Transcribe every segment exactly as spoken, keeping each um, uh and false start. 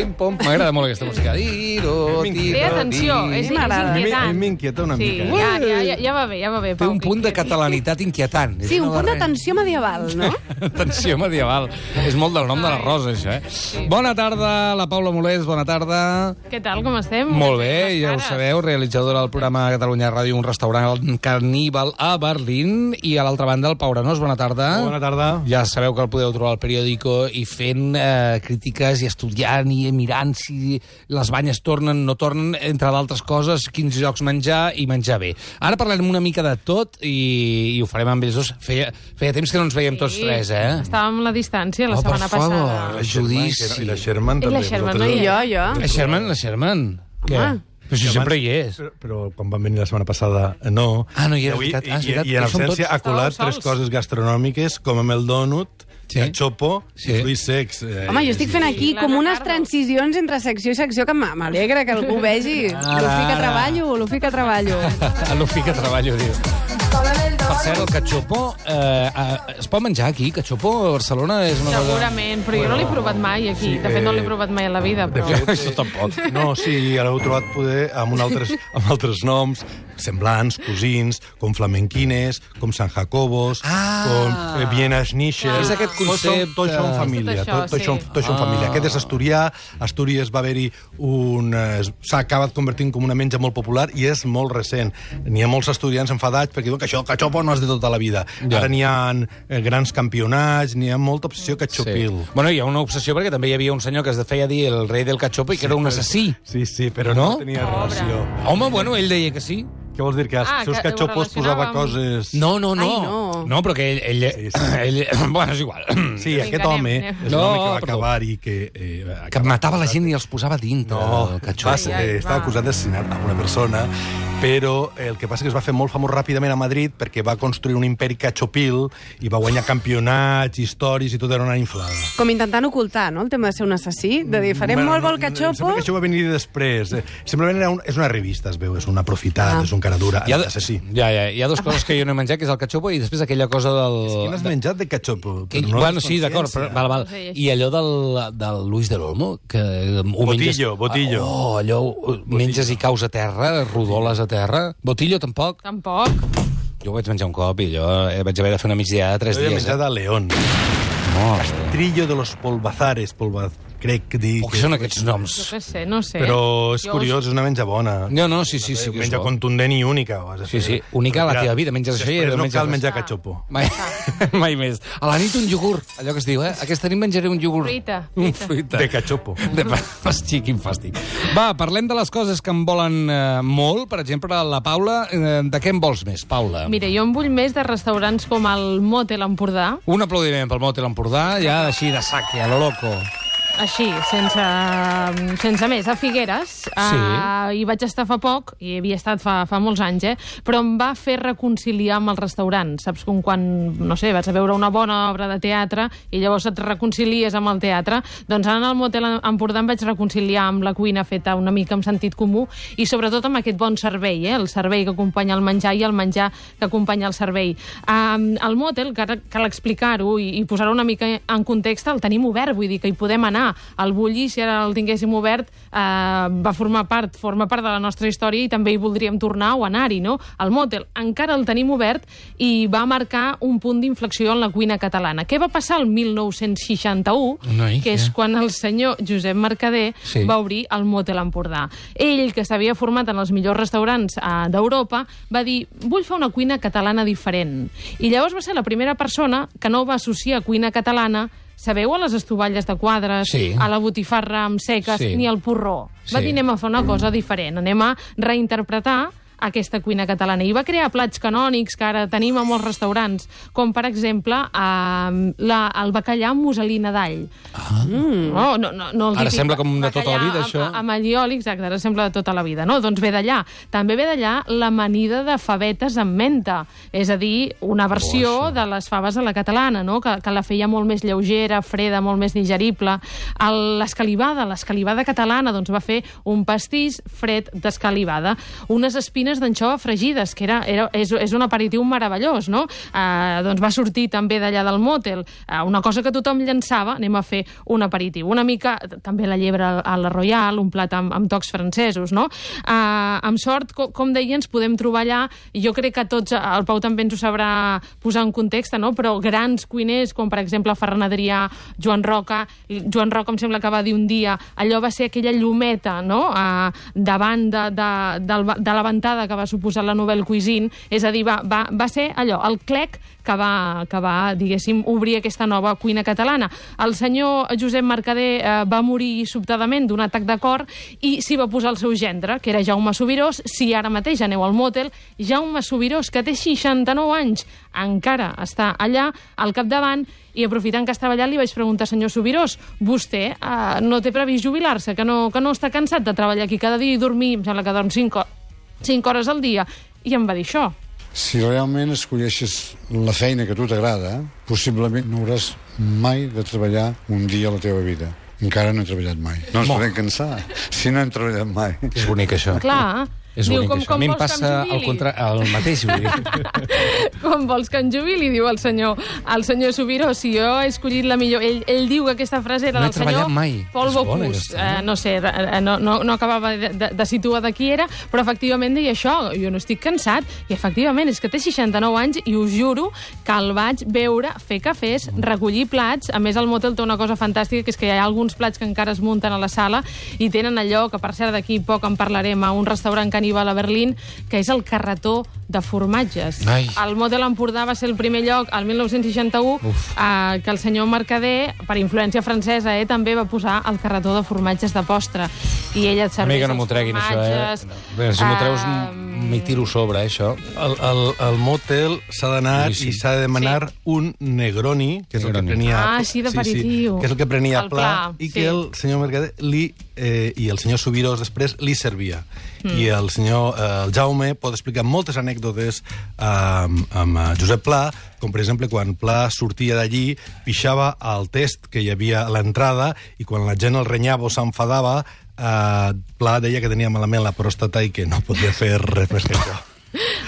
pim-pom. M'agrada molt aquesta música. Tiro, tiro, Té atenció, és, és inquietant. A mi m'inquieta una sí, mica. Ja, ja, ja, ja va bé, ja va bé, Té Pau. un punt de catalanitat inquietant. Sí, un punt de tensió medieval, no? Tensió medieval. És molt del nom de la Rosa, això, eh? Sí. Bona tarda, la Paula Molés, bona tarda. Què tal, com estem? Molt bé, Les ja ho cares. sabeu, realitzadora del programa Catalunya Ràdio, un restaurant caníbal a Berlín, i a l'altra banda el Pau Arenós, bona tarda. Bona tarda. Ja sabeu que el podeu trobar al periòdico i fent eh, crítiques i estudiant i mirant si les banyes tornen, no tornen, entre d'altres coses, quins llocs menjar i menjar bé. Ara parlarem una mica de tot i, i ho farem amb ells dos. Feia, feia temps que no ens veiem tots tres, eh? Estàvem a la distància la Oh, setmana per favor. passada. La Judici. I la Sherman I també. la Sherman, vosaltres no hi I dos. jo, jo. La Sherman, la Sherman. Què? Home. Però si I sempre abans- hi és. Però, però quan van venir la setmana passada, no. Ah, no hi era, I avui- és veritat. Ah, és I, veritat. i en Que som absència tots. ha colat Estàveu tres sols. coses gastronòmiques, com amb el dònut, Sí. cachopo Sí. i fruits secs. Eh, Home, jo estic fent aquí la com unes Ricardo. transicions entre secció i secció que m- m'alegra que algú vegi. Ara, Lo fica ara. treballo, lo fica treballo. A l'ofi que treballo, diu. Per cert, el cachopo, eh, eh, es pot menjar aquí? Cachopo a Barcelona és una cosa... Segurament, però jo no l'he provat mai aquí. Sí, De fet, no l'he eh, provat mai a la vida, de però... fet, Això tampoc. No, sí, l'heu trobat poder amb, un altres, amb altres noms semblants, cosins, com flamenquines, com San Jacobos, Ah. com eh, Viena Schnischer. És aquest Tots són, concepte. tots són família. Tot això, Tot, tots sí. són, tots són Ah. família. Aquest és asturià. Astúries va haver-hi un... eh, s'ha acabat convertint com una menja molt popular i és molt recent. N'hi ha molts estudiants enfadats perquè diuen que això, cachopo, no és de tota la vida. Ja. Ara n'hi ha eh, grans campionats, n'hi ha molta obsessió cachopil. Bueno, hi ha una obsessió perquè també hi havia un senyor que es feia dir el rei del cachopo i que era un assassí. Sí, sí, però No? no, tenia relació. Home, bueno, ell deia que sí. Què vols dir? Que els Ah, seus que ho cachopos posava relacionava amb- coses... No, no, no. Ai, no. No, però que ell... ell, Sí, sí. ell bueno, és igual. Sí, Vinga, aquest anem, home anem. és No, un home que va perdó. acabar i que... Eh, va Que acabar- matava la gent i els posava dintre No, del va cachopo. ser, Ai, ai, estava va. acusat d'assassinat a una persona, però el que passa és que es va fer molt famós ràpidament a Madrid perquè va construir un imperi cachopil i va guanyar campionats, històries i tot era una inflada. Com intentant ocultar, no?, el tema de ser un assassí, de dir, farem molt bo el Em cachopo... sembla que això va venir després. Eh, Simplement era un, és una revista, es veu, és una aprofitat, Ah. és un cara dura, Hi ha, assassí. ja, ja, hi ha dues coses que jo no he menjat, que és el cachopo i després aquella cosa del... Qui n'has menjat de cachopo? Que, Però no bueno, és sí, d'acord, però, consciència. val, val. Sí, I allò del, del Luis del Olmo, que ho Botillo, menges... botillo. Oh, allò ho menges i caus a terra, rodoles a terra. Botillo, tampoc. Tampoc. Jo ho vaig menjar un cop i jo eh, vaig haver de fer una migdiada de tres Jo he dies. menjat a León. Eh? Trillo de los polvazares, polvaz... crec que dir... Oh, què són aquests noms? Jo què sé, no sé. Però és Jo curiós, és una menja bona. No, no, sí, sí, sí. Una que és menja bo. contundent i única. Ho has de Sí, fer. sí, única a la Mira, teva vida. Menges això i després no no menges cal res. menjar cachopo. Mai, mai més. A la nit un iogurt, allò que es diu, eh? Aquesta nit menjaré un iogurt. Fruita, Un fruita. fruita. De cachopo. De... Hosti, quin fàstic. Va, parlem de les coses que em volen eh, molt. Per exemple, la Paula. Eh, de què en vols més, Paula? Mira, jo en vull més de restaurants com el Motel Empordà, Un aplaudiment pel Motel Empordà, ja així de saque, a lo loco. així, sense, sense més, a Figueres. Sí. Uh, hi vaig estar fa poc, i havia estat fa, fa molts anys, eh? Però em va fer reconciliar amb el restaurant. Saps com quan, no sé, vas a veure una bona obra de teatre i llavors et reconcilies amb el teatre? Doncs ara en el Motel Empordà em vaig reconciliar amb la cuina feta una mica amb sentit comú i sobretot amb aquest bon servei, eh? El servei que acompanya el menjar i el menjar que acompanya el servei. Um, el Motel, que ara cal explicar-ho i, i posar-ho una mica en context, el tenim obert, vull dir que hi podem anar. El Bulli, si ara el tinguéssim obert, eh, va formar part, forma part de la nostra història i també hi voldríem tornar o anar-hi, no? El Motel encara el tenim obert i va marcar un punt d'inflexió en la cuina catalana. Què va passar el mil nou-cents seixanta-u? Noi, que és què? quan el senyor Josep Mercader Sí. va obrir el Motel Empordà. Ell, que s'havia format en els millors restaurants eh, d'Europa, va dir, vull fer una cuina catalana diferent. I llavors va ser la primera persona que no va associar cuina catalana, sabeu, a les estovalles de quadres, Sí. a la botifarra amb seques, Sí. ni al porró. Va Sí. dir, anem a fer una cosa diferent, anem a reinterpretar aquesta cuina catalana. I va crear plats canònics que ara tenim a molts restaurants, com per exemple eh, la, el bacallà amb muselina d'all. Ah. Mm. No, no, no, no el Ara típic sembla com de tota la bacallà vida, amb- això. Amb allioli, exacte, ara sembla de tota la vida. No? Doncs ve d'allà. També ve d'allà l'amanida de favetes amb menta, és a dir, una versió Oh, això. de les faves a la catalana, no? que, que la feia molt més lleugera, freda, molt més digerible. El- L'escalivada, l'escalivada catalana, doncs va fer un pastís fred d'escalivada. Unes espines gallines d'anxova fregides, que era, era, és, és un aperitiu meravellós, no? Uh, doncs va sortir també d'allà del mòtel uh, una cosa que tothom llançava, anem a fer un aperitiu. Una mica, també la llebre a la Royal, un plat amb, amb tocs francesos, no? Uh, amb sort, com, com deia, ens podem trobar allà, i jo crec que tots, el Pau també ens ho sabrà posar en context, no? Però grans cuiners, com per exemple Ferran Adrià, Joan Roca, Joan Roca em sembla que va dir un dia, allò va ser aquella llumeta, no?, uh, davant de, de, de, de la ventada que va suposar la Nouvelle Cuisine, és a dir, va, va, va ser allò, el clec que va, que va, diguéssim, obrir aquesta nova cuina catalana. El senyor Josep Mercader eh, va morir sobtadament d'un atac de cor i s'hi va posar el seu gendre, que era Jaume Subirós. Si ara mateix aneu al mòtel, Jaume Subirós, que té seixanta-nou anys, encara està allà al capdavant, i aprofitant que estava allà li vaig preguntar, senyor Subirós, vostè eh, no té previst jubilar-se, que no, que no està cansat de treballar aquí cada dia i dormir, em sembla que dorm cinc hores al dia, i em va dir això. Si realment escolleixes la feina que a tu t'agrada, possiblement no hauràs mai de treballar un dia a la teva vida. Encara no he treballat mai. No ens podem cansar si no hem treballat mai. És bonic, això. Clar. És Diu, bonic, com, això. com A mi em vols que passa em el, jubili? contra... el mateix. Vull dir. Com vols que em jubili, diu el senyor, el senyor Subiró. Si jo he escollit la millor... Ell, ell diu que aquesta frase era No he del senyor treballat mai. Paul És bona, Bocuse. aquesta, Eh, no sé, eh, no, no, no acabava de, de, de situar de qui era, però efectivament deia això, jo no estic cansat, i efectivament és que té seixanta-nou anys i us juro que el vaig veure fer cafès, recollir plats. A més, el mòtel té una cosa fantàstica, que és que hi ha alguns plats que encara es munten a la sala i tenen allò, que per cert d'aquí poc en parlarem, a un restaurant caníbal a Berlín, que és el carretó de formatges. Ai. El Mòtel Empordà va ser el primer lloc, al mil nou-cents seixanta-u, eh, que el senyor Mercader, per influència francesa, eh, també va posar el carretó de formatges de postre. I ella et A mi serveix que no m'ho els treguin, això, eh? formatges. Bé, si m'ho treus, eh, m'hi tiro sobre, eh, això. Al, al, al motel s'ha d'anar Sí, sí. i s'ha de demanar sí. un Negroni, que és Negroni. el que prenia... Ah, sí, d'aperitiu. que és el que prenia El Pla, Pla, i sí. que el senyor Mercader li, eh, i el senyor Subirós després li servia. Mm. I el senyor eh, el Jaume pot explicar moltes anècdotes eh, amb, amb eh, Josep Pla, com per exemple quan Pla sortia d'allí, pixava al test que hi havia a l'entrada, i quan la gent el renyava o s'enfadava, eh, Pla deia que tenia malament la pròstata i que no podia fer res més que això.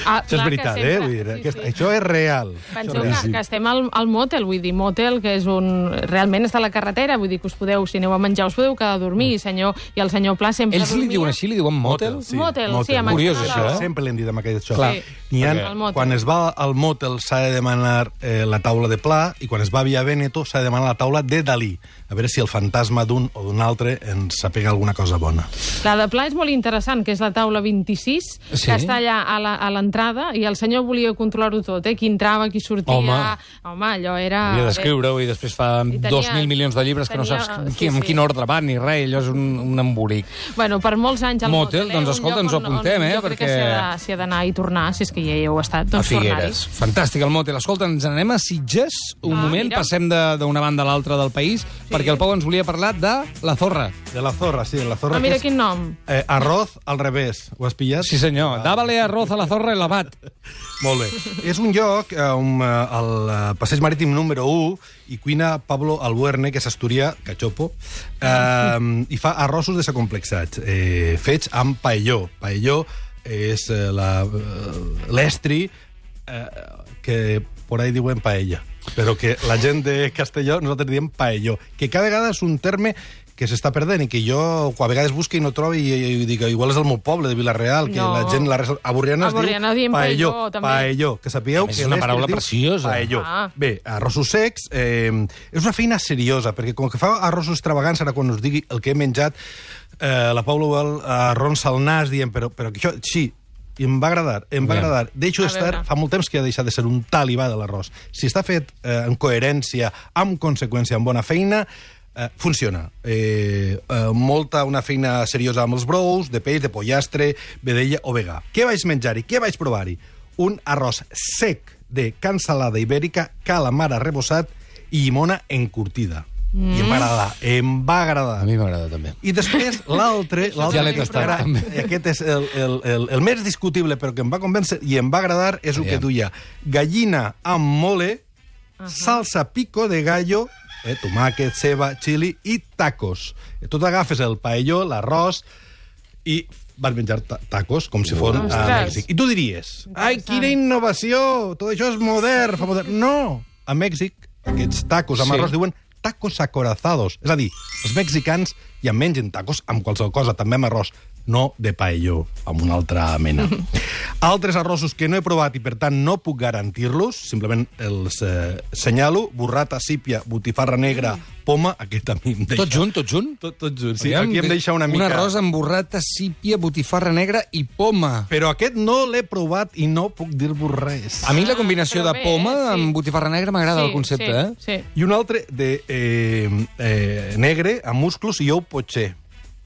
Ah, Això és clar, veritat, que eh? sempre- Vull dir, sí, aquest, sí. això és real. Penseu Això és que, que estem al, al mòtel, vull dir, mòtel, que és un... Realment està a la carretera, vull dir que us podeu, si aneu a menjar, us podeu quedar a dormir, senyor, i el senyor Pla sempre Ells li dormia. diuen així, li diuen motel? Sí, Motel, sí, amb Curiós, accent això, a la eh? O. Sempre l'hem dit amb aquest això. Clar. N'hi ha, Perquè- El motel. quan es va al motel s'ha de demanar eh, la taula de Pla, i quan es va a Via Veneto s'ha de demanar la taula de Dalí. A veure si el fantasma d'un o d'un altre ens sapega alguna cosa bona. La de Pla és molt interessant, que és la taula vint-i-sis, Sí? que està allà a la- a l'entrada, i el senyor volia controlar-ho tot, eh? Qui entrava, qui sortia... Home. Home, allò era... Havia d'escriure-ho i després fa I tenia- dos mil milions de llibres que no tenia- saps sí, qui, en sí. quin ordre van ni res, allò és un, un embolic. Bueno, per molts anys al Motel, Motel, eh? doncs, Un escolta, lloc ens ho on- apuntem, on eh, Jo crec perquè- que s'hi ha de- s'hi ha d'anar i tornar, si és que ja hi heu estat, A doncs Figueres. tornar-hi. Fantàstic, el motel. Escolta, ens anem a Sitges un Ah, moment, mira. passem de- d'una banda a l'altra del país, perquè el Pau ens volia parlar de la Zorra. De la Zorra, sí, la Zorra Ah, mira que és quin nom. eh, arroz al revés. Ho has pillat? Sí, senyor. Dávale arroz a la Zorra i l'abat. Molt bé. És un lloc eh, on, eh, al eh, passeig marítim número u hi cuina Pablo Albuerne, que és asturià, cachopo, eh, i fa arrossos desacomplexats, eh, fets amb paelló. Paelló és eh, la, eh, l'estri eh, que por ahí diuen paella, però que la gent de Castelló nosaltres diem paelló, que cada vegada és un terme que s'està perdent i que jo a vegades busco i no trobo, i, i, i dic, igual és del meu poble, de Vilareal, que No. la gent, la res... a Borriana es A Borriana diu diem paelló, paelló, també. paelló, que sapigueu A més, que és una l'estri paraula es diu preciosa. paelló. Ah. Bé, arrossos secs, eh, és una feina seriosa, perquè com que fa arrossos extravagants, ara quan us digui el que he menjat, eh, la Paula Ubal arronsa el nas dient, però, però que això, sí, i em va agradar, em va Aviam. agradar. Deixo A estar, veure. fa molt temps que ha deixat de ser un talibà de l'arròs. Si està fet eh, en coherència, amb conseqüència, amb bona feina, eh, funciona. Eh, eh, molta, una feina seriosa amb els brous, de peix, de pollastre, vedella o vegà. Què vaig menjar-hi? Què vaig provar-hi? Un arròs sec de cansalada ibèrica, calamar arrebossat i llimona encurtida. Mm. I em va agradar, em va agradar. A mi m'agrada també. I després l'altre... l'altre Ja l'he que tastat, era- també. Aquest és el, el, el, el més discutible, però que em va convèncer i em va agradar, és el que Aviam. duia gallina amb mole, uh -huh. salsa pico de gallo, eh, tomàquet, ceba, xili i tacos. Eh, Tu t'agafes el paelló, l'arròs, i van menjar ta tacos com si fos a Ostres. Mèxic. I tu diries, ai, quina innovació, tot això és modern, fa modern. No, a Mèxic aquests tacos amb Sí. arròs diuen tacos acorazados. És a dir, els mexicans ja mengen tacos amb qualsevol cosa, també amb arròs, no de paelló, amb una altra mena. Altres arrossos que no he provat i, per tant, no puc garantir-los, simplement els eh, senyalo, burrata, sípia, botifarra negra, poma, aquest a mi em deixa... Tot junt, tot junt? Tot, tot junt, sí. Aviam, Aquí em deixa una mica... Un arròs amb burrata, sípia, botifarra negra i poma. Però aquest no l'he provat i no puc dir-vos res. A mi la combinació però de bé, poma sí. amb botifarra negra m'agrada el concepte, sí, eh? Sí. I un altre de eh, eh, negre, amb musclos i ou potxer.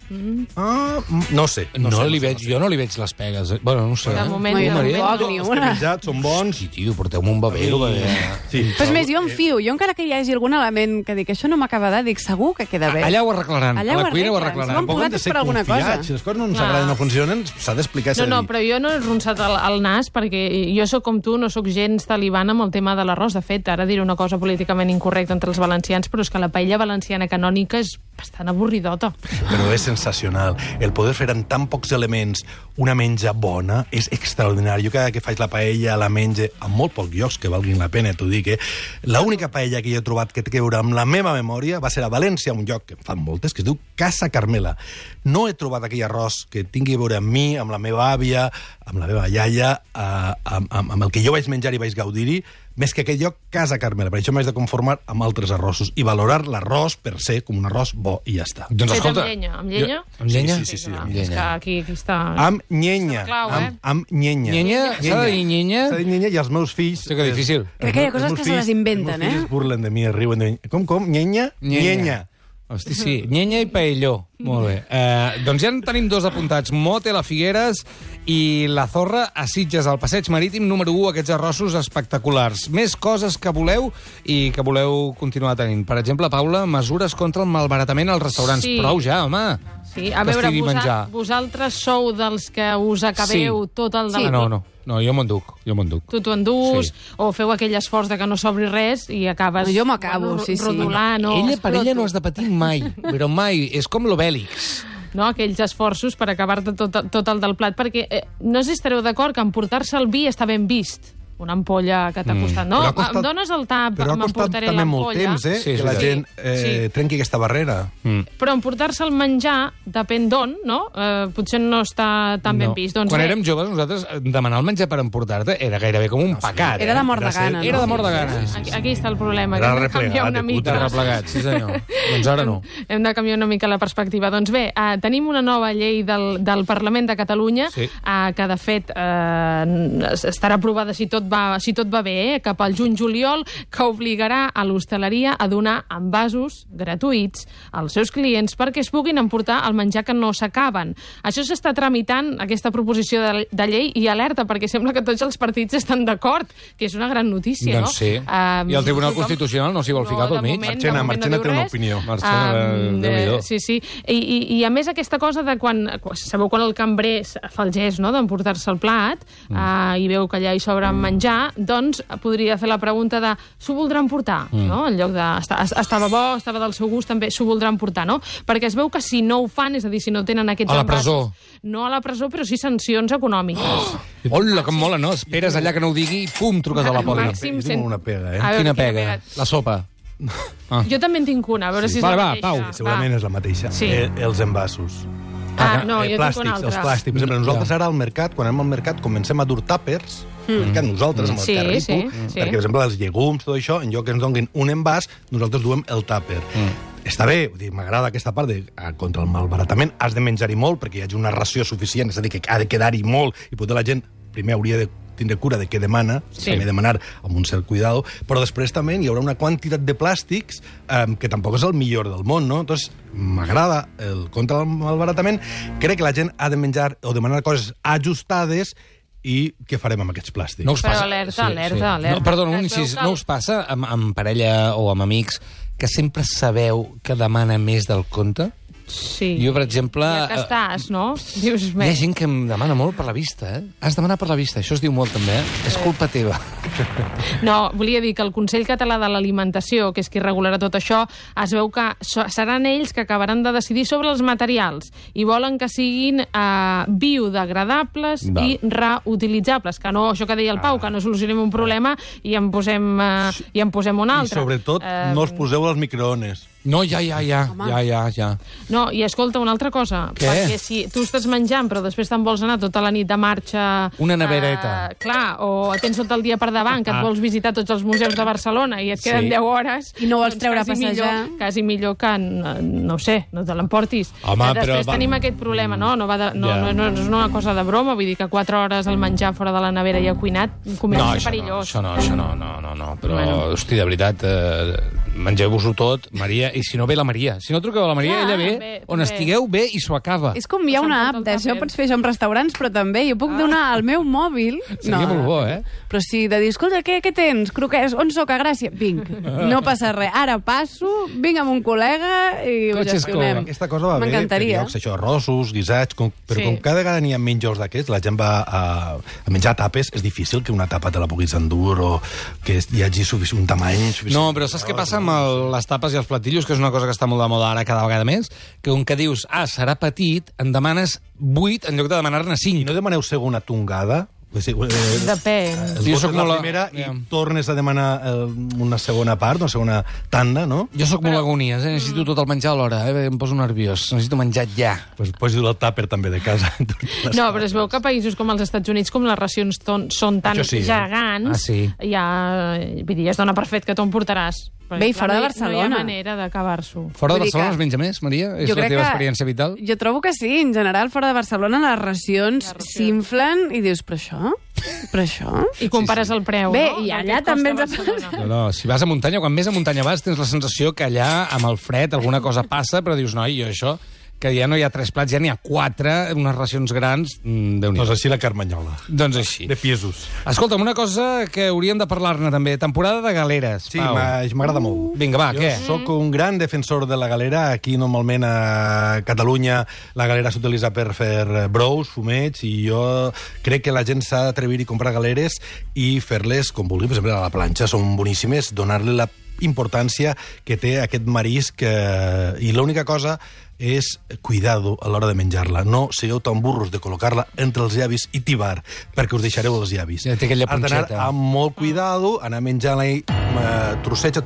Mm. Ah, no sé. No, sé, li sé, veig, sé. jo no li veig les pegues. eh? Bueno, no ho sé. De eh? moment, No, de jo moment. tampoc, ni Els que una. menjat són bons. Sí, tio, porteu-me un babero. I- babero. Sí. Però és més, jo em fio. Jo encara que hi hagi algun element que dic, això no m'acaba de, dic, segur que queda bé. Allà ho arreglaran. Allà a la ho cuina ho arreglen. arreglaran. Som Tampoc hem de posats ser per alguna confiats. cosa. Si les coses no ens Clar. agraden o no funcionen, s'ha d'explicar i s'ha No, de no, dir. però jo no he ronçat el, el nas perquè jo sóc com tu, no sóc gens talibana amb el tema de l'arròs. De fet, ara diré una cosa políticament incorrecta entre els valencians, però és que la paella valenciana canònica és bastant avorridota. Però és sensacional. El poder fer en tan pocs elements una menja bona és extraordinari. Jo cada que faig la paella la menge en molt pocs llocs que valguin la pena, t'ho dic, eh? L'única paella que jo he trobat que té a veure amb la meva memòria va ser a València, un lloc que en fan moltes, que es diu Casa Carmela. No he trobat aquell arròs que tingui a veure amb mi, amb la meva àvia, amb la meva iaia, eh, amb, amb, amb el que jo vaig menjar i vaig gaudir-hi, més que aquell lloc Casa Carmela. Per això m'haig de conformar amb altres arrossos i valorar l'arròs per ser com un arròs bo i ja està. Doncs Fet escolta... amb llenya, amb llenya? Jo, amb llenya? Sí, sí, sí, Clar, amb és que llenya. aquí, aquí està... Amb nyenya. És la clau, eh? amb, amb nyenya. Nyenya? S'ha de dir nyenya? S'ha de dir nyenya i els meus fills... Hosti, que difícil. Crec que hi ha els coses meus que se les fills- inventen, els meus fills eh? es burlen de mi, es riuen de mi. Com, com? Nyenya? Nyenya. Hosti, sí. Nyenya i paelló. Molt bé. Eh, doncs ja en tenim dos apuntats. Mote, la Figueres i la Zorra a Sitges, al passeig marítim número u, aquests arrossos espectaculars. Més coses que voleu i que voleu continuar tenint. Per exemple, Paula, mesures contra el malbaratament als restaurants. Sí. Prou ja, home. Sí, a Que veure, estigui vosa, menjar. vosaltres sou dels que us acabeu Sí. tot el de Ah, la... no, no. No, jo m'ho enduc. Jo m'ho enduc. Tu t'ho endús, Sí. o feu aquell esforç de que no s'obri res i acabes... No, jo m'acabo, bueno, sí, sí. rodolant, o... Ella, per ella, no has de patir mai. Però mai. És com l'Obèlix. No, aquells esforços per acabar-te tot, tot el del plat, perquè eh, no sé si estareu d'acord que emportar-se el vi està ben vist. Una ampolla que t'ha costat. No, Però ha costat- em dones el tap, Però ha costat m'emportaré també molt l'ampolla. temps, eh? Sí, que sí, la sí. gent eh, Sí. trenqui aquesta barrera. Mm. Però emportar-se el menjar, depèn d'on, no? Eh, potser no està tan ben vist. Doncs Quan bé, érem joves, nosaltres eh, demanar el menjar per emportar-te era gairebé com un pecat. Era de mort de Era ser- gana, Era no? de mort de gana. Aquí, aquí està el problema, Era que hem de canviar replegat, una de mica. De replegat, sí senyor. Doncs ara no. Hem de canviar una mica la perspectiva. Doncs bé, eh, tenim una nova llei del, del Parlament de Catalunya Sí. eh, que, de fet, eh, estarà aprovada si tot va, si tot va bé, eh, cap al juny-juliol, que obligarà a l'hostaleria a donar envasos gratuïts als seus clients perquè es puguin emportar el menjar que no s'acaben. Això s'està tramitant, aquesta proposició de, de llei, i alerta, perquè sembla que tots els partits estan d'acord, que és una gran notícia, Doncs no? sí. Eh, I el Tribunal tothom- Constitucional no s'hi vol ficar pel de mig. moment- Marchena, de moment Marchena no té diu una res. opinió. Marchena, Um, Déu-n'hi-do. eh, sí, sí. I, i, I a més aquesta cosa de quan... Sabeu quan el cambrer fa el gest, no?, d'emportar-se el plat mm. uh, i veu que allà hi sobra menjar, doncs podria fer la pregunta de s'ho voldran portar, mm. no?, en lloc de "Està- estava bo, estava del seu gust, també s'ho voldran portar, no? Perquè es veu que si no ho fan, és a dir, si no tenen aquests A la envasos, presó. no a la presó, però sí sancions econòmiques. Oh. Hola, que mola, no? Esperes allà que no ho digui i pum, truques a la poli. Màxim Jo tinc una pega, eh? A veure, Quina pega? pega? La sopa. Ah. Jo també en tinc una, a veure Sí. si és Vale, la va, mateixa. Pau. Va. Segurament és la mateixa. Sí. Eh, els envasos. Ah, no, Eh, jo plàstics, tinc una altra. els plàstics. Per exemple, nosaltres ara al mercat, quan anem al mercat, comencem a dur tàpers, mm. mercat, nosaltres, amb el Sí, carripo, sí, sí. perquè, per exemple, els llegums, tot això, en lloc que ens donin un envàs, nosaltres duem el tàper. Mm. Està bé, vull dir, m'agrada aquesta part de ah, contra el malbaratament, has de menjar-hi molt perquè hi hagi una ració suficient, és a dir, que ha de quedar-hi molt, i potser la gent primer hauria de tindre cura de què demana, Sí. també demanar amb un cert cuidado, però després també hi haurà una quantitat de plàstics eh, que tampoc és el millor del món, no? Entonces, m'agrada el contra el malbaratament, crec que la gent ha de menjar o demanar coses ajustades i què farem amb aquests plàstics? No us Però passa... alerta, alerta, alerta. No, perdona, un Es veu incís. que No el- us passa amb, amb parella o amb amics que sempre sabeu que demana més del compte? Sí. Jo, per exemple... Ja que estàs, no? Dius, Hi ha gent que em demana molt per la vista, eh? Has demanat per la vista, això es diu molt també, eh? És culpa teva. No, volia dir que el Consell Català de l'Alimentació, que és qui regularà tot això, es veu que seran ells que acabaran de decidir sobre els materials i volen que siguin eh, biodegradables Val. i reutilitzables, que no, això que deia el Pau, que no solucionem un problema i en posem, eh, i en posem un I altre. sobretot, Eh, no els poseu als microones. No, ja, ja, ja, Home. ja, ja, ja. No, i escolta, una altra cosa, Què? perquè si tu estàs menjant però després te'n vols anar tota la nit de marxa... Una nevereta. Eh, clar, o tens tot el dia per davant, que et Ah. vols visitar tots els museus de Barcelona i et queden Sí. deu hores... I no vols doncs treure a quasi passejar. Millor, quasi millor que, no, no ho sé, no te l'emportis. Home, després però va- tenim aquest problema, no? No, va de, no, Ja. no, no, no és una cosa de broma, vull dir que quatre hores al menjar fora de la nevera ja cuinat comença No, a ser això no, perillós. això no, això no, no, no, no. Però, Bueno. hosti, de veritat, eh, mengeu-vos-ho tot, Maria, i si no ve la Maria. Si no truqueu a la Maria, Clar, ella ve, bé, on bé. estigueu, ve i s'ho acaba. És com hi ha una S'emporta app el d'això, tàper. pots fer això en restaurants, però també jo puc donar al meu mòbil... Seria molt bo, eh? Però sí, de dir, escolta, què, què tens? Croquets, on sóc? A Gràcia? Vinc, no passa res. Ara passo, vinc amb un col·lega i ho Cotxes gestionem. com- Aquesta cosa va bé per M'encantaria. llocs, això, arrossos, guisats, com, però Sí. com cada vegada n'hi ha menys llocs d'aquests, la gent va a, a menjar tapes, és difícil que una tapa te la puguis endur o que hi hagi suficient, un tamany suficient. No, però saps què passa amb el, les tapes i els platillos, que és una cosa que està molt de moda ara cada vegada més, que un que dius, ah, serà petit, en demanes vuit en lloc de demanar-ne I cinc. no demaneu segona tongada? O sigui, eh, Depèn. el Jo vot sóc és la molt a- primera i Ja. tornes a demanar eh, una segona part, una segona tanda, no? Jo sóc molt agonies, eh? Necessito tot el menjar alhora, eh? Em poso nerviós. Necessito menjar ja. Pues posi el tàper també de casa. No, però es veu que a països com els Estats Units, com les racions ton, són tan Això sí, eh? gegants, Ah, sí. ja, vull dir, es dona per fet que t'ho emportaràs. Perquè, Bé, i clar, fora de no hi- No hi Barcelona. ha manera d'acabar-s'ho. Fora de Vull dir Barcelona que- es menja més, Maria? És Jo la crec teva que- experiència vital? Jo trobo que sí, en general, fora de Barcelona les racions Les racions. s'inflen i dius, però això? Però això? I compares el preu, Bé, no? i Del que allà et costa també ens ha Barcelona. No, no, si vas a muntanya, quan més a muntanya vas, tens la sensació que allà, amb el fred, alguna cosa passa, però dius, noi, jo això, que ja no hi ha tres plats, ja n'hi ha quatre, unes racions grans, mm, Déu-n'hi-do. Doncs així la Carmanyola. Doncs així. De pisos. Escolta'm, una cosa que hauríem de parlar-ne també, temporada de galeres. Sí, Pau. m'ha- m'agrada molt. Vinga, va, jo què? sóc un gran defensor de la galera. Aquí, normalment, a Catalunya, la galera s'utilitza per fer brous, fumets, i jo crec que la gent s'ha d'atrevir i comprar galeres i fer-les com vulgui. Per exemple, a la planxa són boníssimes, donar-li la importància que té aquest marisc, eh, i l'única cosa és cuidado a l'hora de menjar-la. No sigueu tan burros de col·locar-la entre els llavis i tibar, perquè us deixareu els llavis. Ja té aquella Has d'anar punxeta. amb molt cuidado, anar menjant-la i eh, trosseig a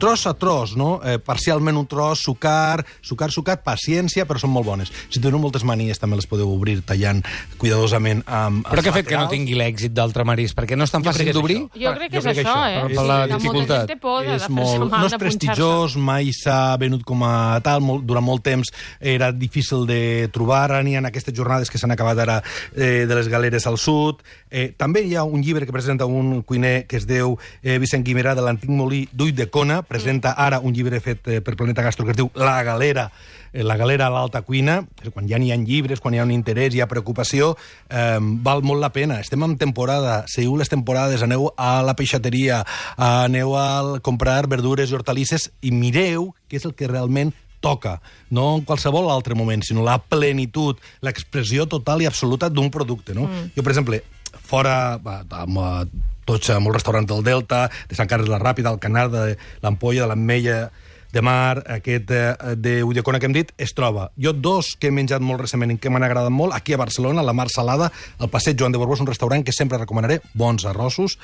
tros a tros, no? Eh, parcialment un tros, sucar, sucar, sucat, paciència, però són molt bones. Si teniu moltes manies, també les podeu obrir tallant cuidadosament amb Però els què ha fet que no laterals. tingui l'èxit d'altre marisc? Perquè no és tan Jo crec fàcil que és d'obrir? això. Jo crec que Jo és crec que això, això, eh? per Sí, la que molta dificultat. gent té por de És fer-se molt, mal, no és de punxar-se. prestigiós, mai s'ha venut com a tal, molt, durant molt temps era difícil de trobar, ara n'hi ha aquestes jornades que s'han acabat ara eh, de les galeres al sud. Eh, també hi ha un llibre que presenta un cuiner que es diu eh, Vicent Guimerà, de l'antic molí d'Ulldecona, presenta ara un llibre fet eh, per Planeta Gastro que es diu La Galera, eh, la galera a l'alta cuina. Quan ja n'hi ha llibres, quan hi ha un interès, hi ha preocupació, eh, val molt la pena. Estem en temporada, seguiu les temporades, aneu a la peixateria, aneu a comprar verdures i hortalisses i mireu què és el que realment toca, no en qualsevol altre moment, sinó la plenitud, l'expressió total i absoluta d'un producte, no? Mm. Jo, per exemple, fora, va, amb, eh, tots amb el restaurant del Delta, de Sant Carles la Ràpida, el Canar, de l'Ampolla, de l'Ametlla de Mar, aquest eh, de Ulldecona que hem dit, es troba. Jo dos que he menjat molt recentment i que m'han agradat molt, aquí a Barcelona, la Mar Salada, al Passeig Joan de Borbó, és un restaurant que sempre recomanaré, bons arrossos,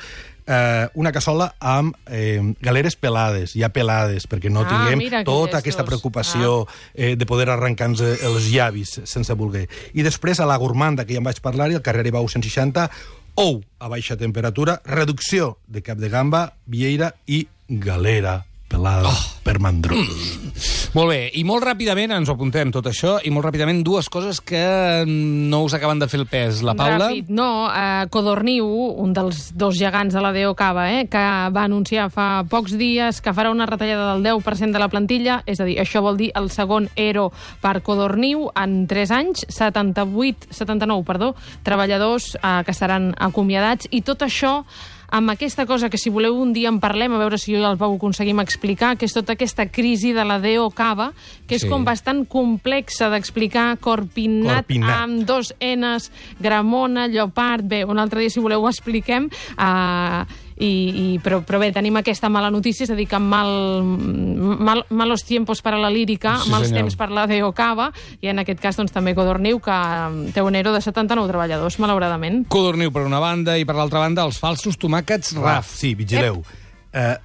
eh, una cassola amb eh, galeres pelades, ja pelades, perquè no Ah, tinguem mira, que tota gestos. aquesta preocupació eh, de poder arrencar-nos els llavis sense voler. I després a la gourmanda, que ja en vaig parlar-hi, al carrer Ibau cent seixanta, ou a baixa temperatura, reducció de cap de gamba, vieira i galera pelada oh. per mandró. Molt bé, i molt ràpidament ens ho apuntem tot això, i molt ràpidament dues coses que no us acaben de fer el pes. La Paula... Ràpid, no. Eh, Codorniu, un dels dos gegants de la D O Cava, eh, que va anunciar fa pocs dies que farà una retallada del deu per cent de la plantilla, és a dir, això vol dir el segon E R O per Codorniu en tres anys, setanta-vuit, setanta-nou, perdó, treballadors eh, que seran acomiadats, i tot això amb aquesta cosa que, si voleu, un dia en parlem, a veure si jo i el Pau ho aconseguim explicar, que és tota aquesta crisi de la D O cava, que és Sí. com bastant complexa d'explicar, Corpinat, Corpinat. amb dos Ns, Gramona, Llopart... Bé, un altre dia, si voleu, ho expliquem. Uh, i, i, però, però bé, tenim aquesta mala notícia, és a dir, que mal, mal, malos tiempos per a la lírica, Sí, mals senyor. temps per la D O cava, i en aquest cas doncs, també Codorniu, que té un ero de setanta-nou treballadors, malauradament. Codorniu per una banda i per l'altra banda els falsos tomàquets Raf. Sí, vigileu. Eh,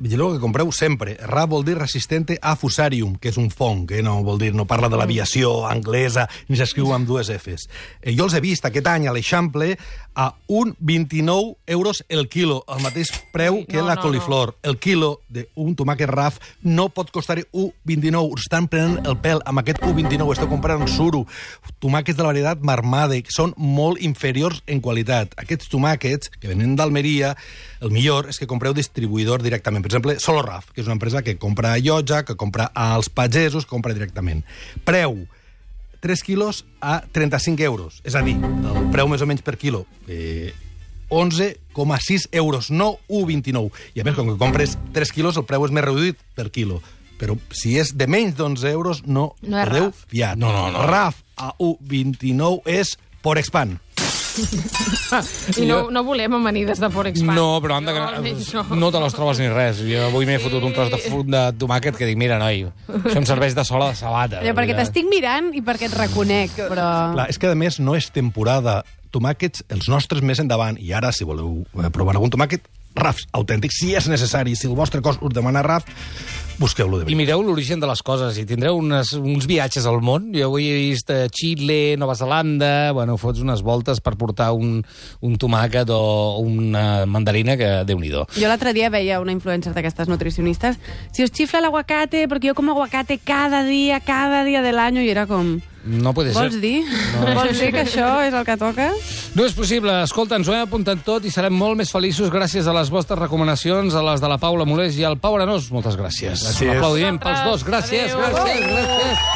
vigileu que compreu sempre. Raf vol dir resistente a fusarium, que és un fong, eh? No vol dir, no parla de l'aviació anglesa, ni s'escriu amb dues Fs. Eh, jo els he vist aquest any a l'Eixample a un vint-i-nou euros el quilo, el mateix preu Ui, que no, la no, coliflor. El quilo d'un tomàquet Raf no pot costar un vint-i-nou. Us estan prenent el pèl amb aquest un vint-i-nou. Esteu comprant suro. Tomàquets de la varietat Marmade, que són molt inferiors en qualitat. Aquests tomàquets, que venen d'Almeria, el millor és que compreu distribuïdor directament. Per exemple, Solo Raf, que és una empresa que compra a Llotja, que compra als pagesos, que compra directament. Preu, tres quilos a trenta-cinc euros. És a dir, el preu més o menys per quilo, eh, onze coma sis euros, no un coma vint-i-nou. I a més, com que compres tres quilos, el preu és més reduït per quilo. Però si és de menys d'onze euros, no, No és podeu Raf. fiar. No, no, no. Raf a un coma vint-i-nou és por expand. I no, no volem amanides de Forexpan. No, però han de... No, almenys no. no te les trobes ni res. Jo avui m'he fotut un tros de, fu- de tomàquet que dic, mira, noi, això em serveix de sola de sabata. Allò, perquè t'estic mirant i perquè et reconec, però... Clar, és que, a més, no és temporada. Tomàquets, els nostres més endavant. I ara, si voleu eh, provar algun tomàquet, Rafs autèntics, si és necessari. Si el vostre cos us demana Raf, busqueu-lo de I veritat. mireu l'origen de les coses i tindreu unes, uns viatges al món. Jo avui he vist eh, Xile, Nova Zelanda... Bueno, fots unes voltes per portar un, un tomàquet o una mandarina que, Déu-n'hi-do. Jo l'altre dia veia una influencer d'aquestes nutricionistes. Si os chifla el aguacate, porque yo como aguacate cada día, cada día del año, i era com... No puede ser. Vols dir? No. Vols dir que això és el que toca? No és possible. Escolta, ens ho hem apuntat tot i serem molt més feliços gràcies a les vostres recomanacions, a les de la Paula Molés i al Pau Arenós. Moltes gràcies. Gràcies. Un aplaudiment pels dos. Gràcies, Adéu. gràcies, gràcies.